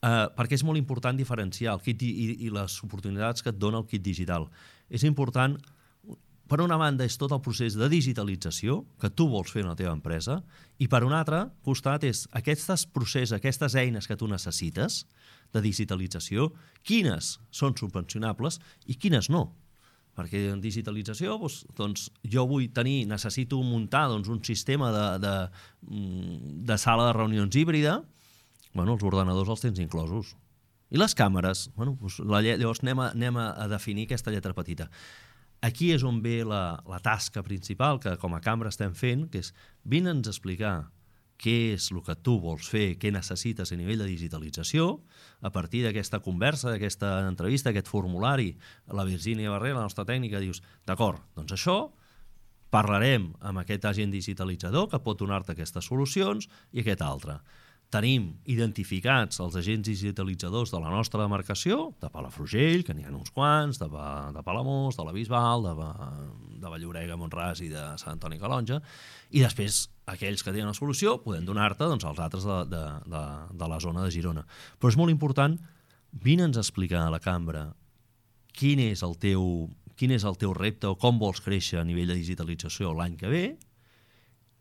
perquè és molt important diferenciar el kit i les oportunitats que et dona el kit digital. És important, per una banda, és tot el procés de digitalització que tu vols fer en la teva empresa, i per un altre costat és aquests processos, aquestes eines que tu necessites de digitalització, quines són subvencionables i quines no. Perquè en digitalització, doncs, jo necessito muntar un sistema de sala de reunions híbrida. Els ordenadors els tens inclosos. I les càmeres? Llavors anem a definir aquesta lletra petita. Aquí és on ve la tasca principal que com a cambra estem fent, que és vine'ns a explicar què és el que tu vols fer, què necessites a nivell de digitalització. A partir d'aquesta conversa, d'aquesta entrevista, aquest formulari, la Virgínia Barrer, la nostra tècnica, dius, d'acord, doncs això, parlarem amb aquest agent digitalitzador que pot donar-te aquestes solucions i aquest altre. Tenim identificats els agents digitalitzadors de la nostra demarcació, de Palafrugell, que n'hi ha uns quants, de Palamós, de la Bisbal, de Vall-llobrega, Mont-ras i de Sant Antoni Calonja, i després aquells que tenen la solució podem donar-te als altres de la zona de Girona. Però és molt important, vine'ns a explicar a la cambra quin és el teu repte o com vols créixer a nivell de digitalització l'any que ve,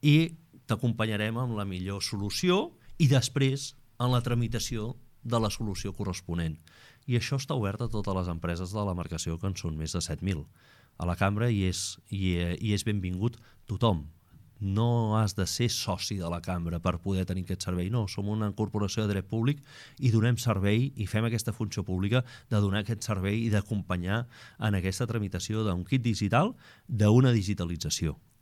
i t'acompanyarem amb la millor solució i després en la tramitació de la solució corresponent. I això està obert a totes les empreses de la demarcació, que en són més de 7.000. A la cambra hi és benvingut tothom. No has de ser soci de la cambra per poder tenir aquest servei. No, som una corporació de dret públic i donem servei i fem aquesta funció pública de donar aquest servei i d'acompanyar en aquesta tramitació d'un kit digital d'una digitalització.